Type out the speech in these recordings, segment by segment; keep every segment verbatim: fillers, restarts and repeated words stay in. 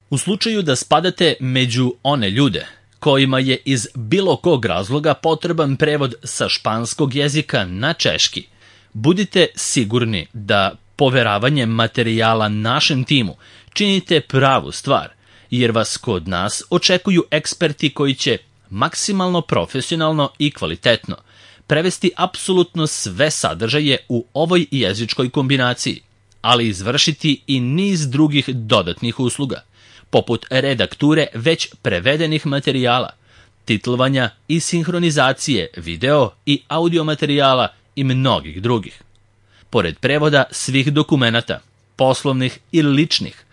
U slučaju da spadate među one ljude kojima je iz bilo kog razloga potreban prevod sa španskog jezika na češki, budite sigurni da poveravanjem materijala našem timu činite pravu stvar, jer vas kod nas očekuju eksperti koji će maksimalno profesionalno i kvalitetno prevesti apsolutno sve sadržaje u ovoj jezičkoj kombinaciji, ali izvršiti i niz drugih dodatnih usluga, poput redakture već prevedenih materijala, titlovanja i sinhronizacije video i audio materijala i mnogih drugih. Pored prevoda svih dokumenata, poslovnih ili ličnih,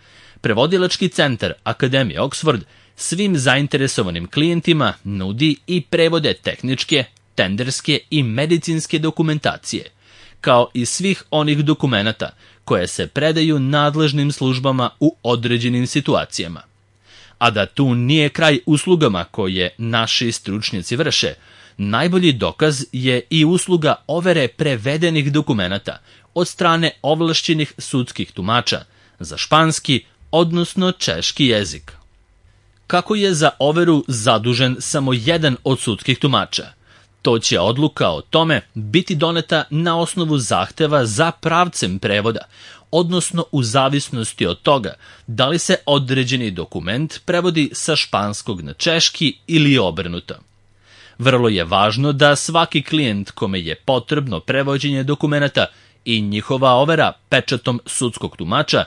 Prevodilački centar Akademije Oxford svim zainteresovanim klijentima nudi i prevode tehničke, tenderske i medicinske dokumentacije, kao i svih onih dokumenata koje se predaju nadležnim službama u određenim situacijama. A da tu nije kraj uslugama koje naši stručnjaci vrše, najbolji dokaz je i usluga overe prevedenih dokumenata od strane ovlašćenih sudskih tumača za španski, odnosno češki jezik. Kako je za overu zadužen samo jedan od sudskih tumača, to će odluka o tome biti doneta na osnovu zahteva za pravcem prevoda, odnosno u zavisnosti od toga da li se određeni dokument prevodi sa španskog na češki ili obrnuto. Vrlo je važno da svaki klijent kome je potrebno prevođenje dokumenata i njihova overa pečatom sudskog tumača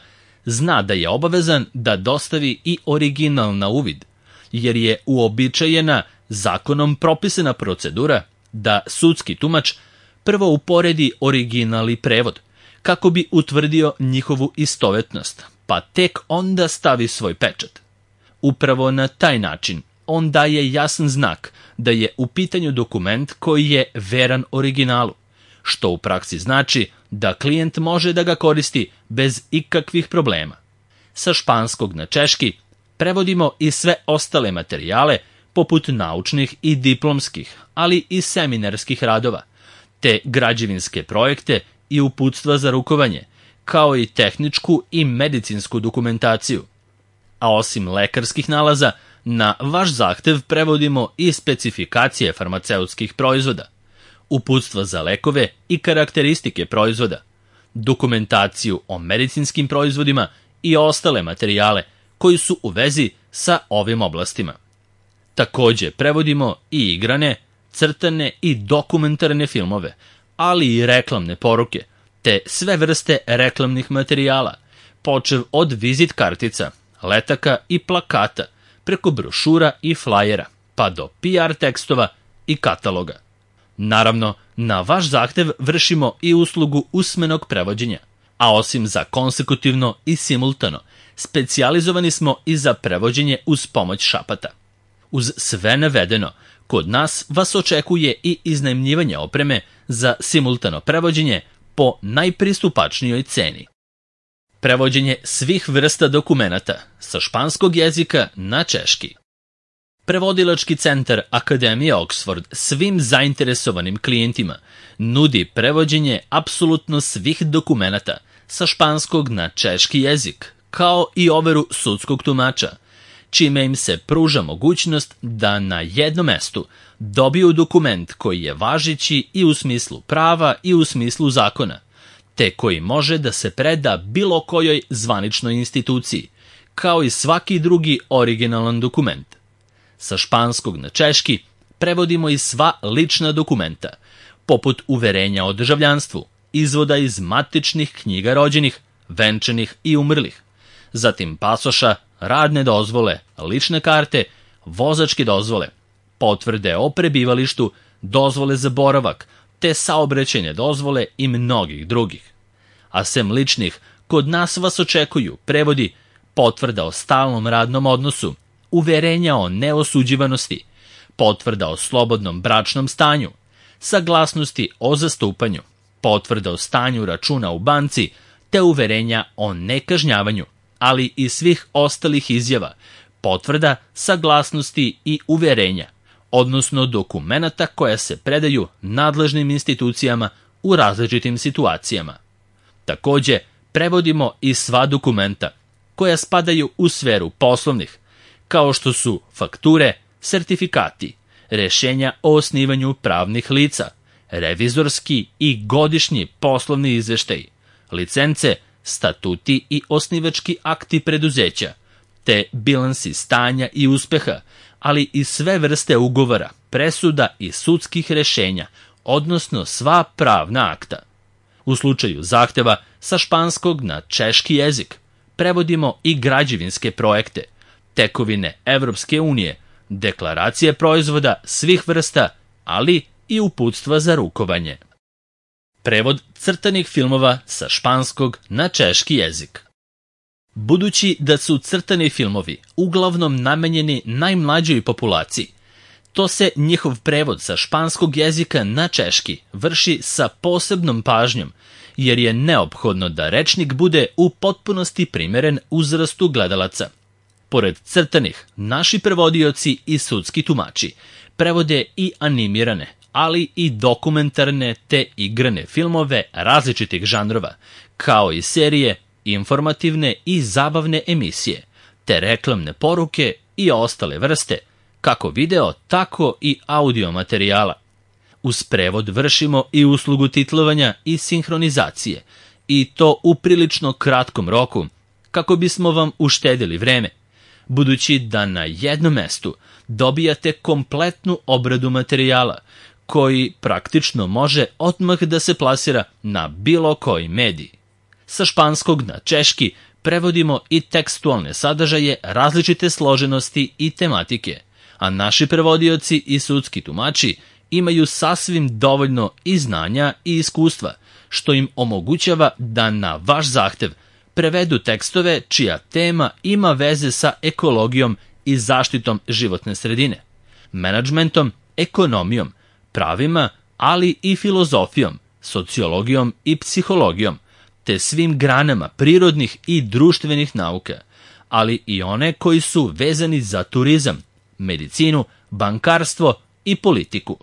zna da je obavezan da dostavi i original na uvid, jer je uobičajena zakonom propisana procedura da sudski tumač prvo uporedi original i prevod, kako bi utvrdio njihovu istovetnost, pa tek onda stavi svoj pečat. Upravo na taj način on daje jasan znak da je u pitanju dokument koji je veran originalu, što u praksi znači da klijent može da ga koristi bez ikakvih problema. Sa španskog na češki prevodimo i sve ostale materijale, poput naučnih i diplomskih, ali i seminarskih radova, te građevinske projekte i uputstva za rukovanje, kao i tehničku i medicinsku dokumentaciju. A osim lekarskih nalaza, na vaš zahtev prevodimo i specifikacije farmaceutskih proizvoda, uputstva za lekove i karakteristike proizvoda, dokumentaciju o medicinskim proizvodima i ostale materijale koji su u vezi sa ovim oblastima. Takođe prevodimo i igrane, crtane i dokumentarne filmove, ali i reklamne poruke, te sve vrste reklamnih materijala, počev od vizit kartica, letaka i plakata, preko brošura i flajera, pa do P R tekstova i kataloga. Naravno, na vaš zahtev vršimo i uslugu usmenog prevođenja, a osim za konsekutivno i simultano, specijalizovani smo i za prevođenje uz pomoć šapata. Uz sve navedeno, kod nas vas očekuje i iznajmljivanje opreme za simultano prevođenje po najpristupačnijoj ceni. Prevođenje svih vrsta dokumenata sa španskog jezika na češki. Prevodilački centar Akademije Oxford svim zainteresovanim klijentima nudi prevođenje apsolutno svih dokumenata sa španskog na češki jezik, kao i overu sudskog tumača, čime im se pruža mogućnost da na jednom mestu dobiju dokument koji je važeći i u smislu prava i u smislu zakona, te koji može da se preda bilo kojoj zvaničnoj instituciji, kao i svaki drugi originalan dokument. Sa španskog na češki prevodimo i sva lična dokumenta, poput uverenja o državljanstvu, izvoda iz matičnih knjiga rođenih, venčanih i umrlih, zatim pasoša, radne dozvole, lične karte, vozačke dozvole, potvrde o prebivalištu, dozvole za boravak, te saobraćajne dozvole i mnogih drugih. A sem ličnih, kod nas vas očekuju prevodi potvrda o stalnom radnom odnosu, uverenja o neosuđivanosti, potvrda o slobodnom bračnom stanju, saglasnosti o zastupanju, potvrda o stanju računa u banci, te uverenja o nekažnjavanju, ali i svih ostalih izjava, potvrda, saglasnosti i uverenja, odnosno dokumenata koja se predaju nadležnim institucijama u različitim situacijama. Takođe, prevodimo i sva dokumenta, koja spadaju u sferu poslovnih, kao što su fakture, sertifikati, rešenja o osnivanju pravnih lica, revizorski i godišnji poslovni izveštaj, licence, statuti i osnivački akti preduzeća, te bilansi stanja i uspeha, ali i sve vrste ugovora, presuda i sudskih rešenja, odnosno sva pravna akta. U slučaju zahteva sa španskog na češki jezik prevodimo i građevinske projekte, tekovine Evropske unije, deklaracije proizvoda svih vrsta, ali i uputstva za rukovanje. Prevod crtanih filmova sa španskog na češki jezik. Budući da su crtani filmovi uglavnom namenjeni najmlađoj populaciji, to se njihov prevod sa španskog jezika na češki vrši sa posebnom pažnjom, jer je neophodno da rečnik bude u potpunosti primeren uzrastu gledalaca. Pored crtanih, naši prevodioci i sudski tumači prevode i animirane, ali i dokumentarne te igrane filmove različitih žanrova, kao i serije, informativne i zabavne emisije, te reklamne poruke i ostale vrste, kako video, tako i audio materijala. Uz prevod vršimo i uslugu titlovanja i sinhronizacije, i to u prilično kratkom roku, kako bismo vam uštedili vreme, budući da na jednom mestu dobijate kompletnu obradu materijala, koji praktično može odmah da se plasira na bilo koji medij. Sa španskog na češki prevodimo i tekstualne sadržaje različite složenosti i tematike, a naši prevodioci i sudski tumači imaju sasvim dovoljno i znanja i iskustva, što im omogućava da na vaš zahtev prevedu tekstove čija tema ima veze sa ekologijom i zaštitom životne sredine, menadžmentom, ekonomijom, pravima, ali i filozofijom, sociologijom i psihologijom, te svim granama prirodnih i društvenih nauka, ali i one koji su vezani za turizam, medicinu, bankarstvo i politiku.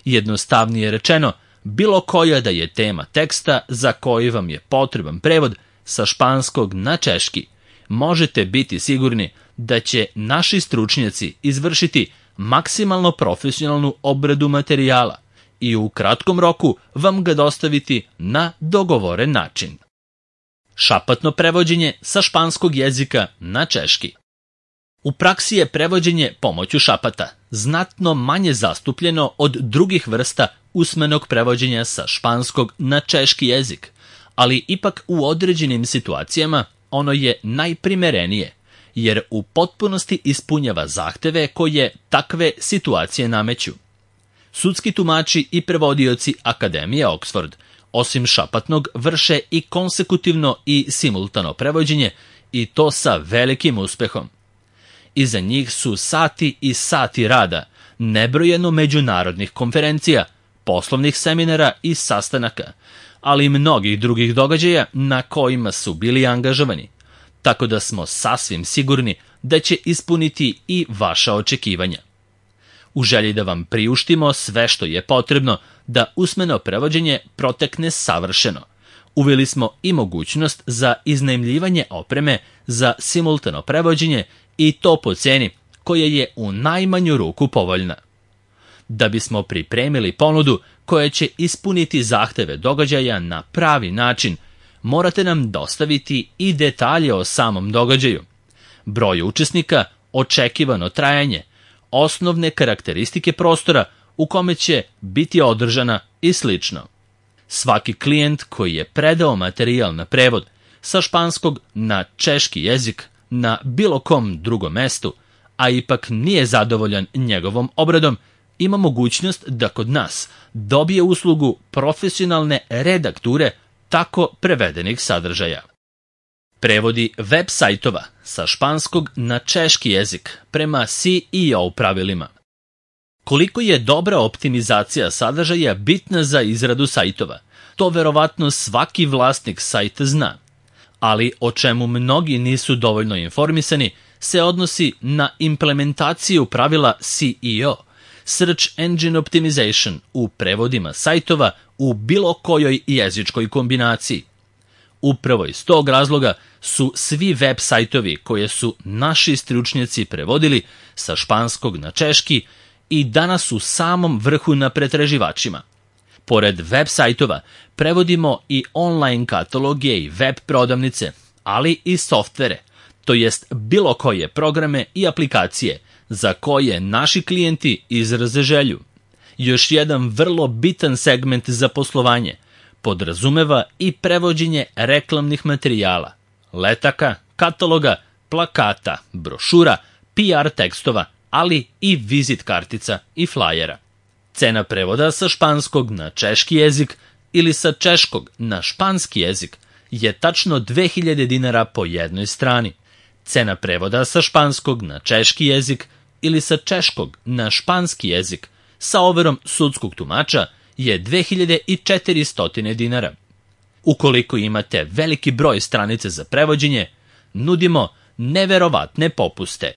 Jednostavnije rečeno, bilo koja da je tema teksta za koji vam je potreban prevod sa španskog na češki, možete biti sigurni da će naši stručnjaci izvršiti maksimalno profesionalnu obradu materijala i u kratkom roku vam ga dostaviti na dogovoren način. Šapatno prevođenje sa španskog jezika na češki. U praksi je prevođenje pomoću šapata znatno manje zastupljeno od drugih vrsta usmenog prevođenja sa španskog na češki jezik, ali ipak u određenim situacijama ono je najprimerenije, jer u potpunosti ispunjava zahteve koje takve situacije nameću. Sudski tumači i prevodioci Akademije Oxford, osim šapatnog, vrše i konsekutivno i simultano prevođenje, i to sa velikim uspehom. Iza njih su sati i sati rada, nebrojeno međunarodnih konferencija, poslovnih seminara i sastanaka, ali i mnogih drugih događaja na kojima su bili angažovani, tako da smo sasvim sigurni da će ispuniti i vaša očekivanja. U želji da vam priuštimo sve što je potrebno da usmeno prevođenje protekne savršeno, uveli smo i mogućnost za iznajmljivanje opreme za simultano prevođenje, i to po ceni koja je u najmanju ruku povoljna. Da bismo pripremili ponudu koja će ispuniti zahteve događaja na pravi način, morate nam dostaviti i detalje o samom događaju, broj učesnika, očekivano trajanje, osnovne karakteristike prostora u kome će biti održana i slično. Svaki klijent koji je predao materijal na prevod sa španskog na češki jezik na bilo kom drugom mestu, a ipak nije zadovoljan njegovom obradom, ima mogućnost da kod nas dobije uslugu profesionalne redakture tako prevedenih sadržaja. Prevodi web sajtova sa španskog na češki jezik prema C E O pravilima. Koliko je dobra optimizacija sadržaja bitna za izradu sajtova, to verovatno svaki vlasnik sajta zna, ali o čemu mnogi nisu dovoljno informisani se odnosi na implementaciju pravila C E O, Search Engine Optimization, u prevodima sajtova u bilo kojoj jezičkoj kombinaciji. Upravo iz tog razloga su svi web sajtovi koje su naši stručnjaci prevodili sa španskog na češki i danas u samom vrhu na pretraživačima. Pored web sajtova prevodimo i online kataloge i web prodavnice, ali i softvere, to jest bilo koje programe i aplikacije za koje naši klijenti izraze želju. Još jedan vrlo bitan segment za poslovanje podrazumeva i prevođenje reklamnih materijala, letaka, kataloga, plakata, brošura, P R tekstova, ali i vizit kartica i flajera. Cena prevoda sa španskog na češki jezik ili sa češkog na španski jezik je tačno dve hiljade dinara po jednoj strani. Cena prevoda sa španskog na češki jezik ili sa češkog na španski jezik sa overom sudskog tumača je dve hiljade četiristo dinara. Ukoliko imate veliki broj stranice za prevođenje, nudimo neverovatne popuste.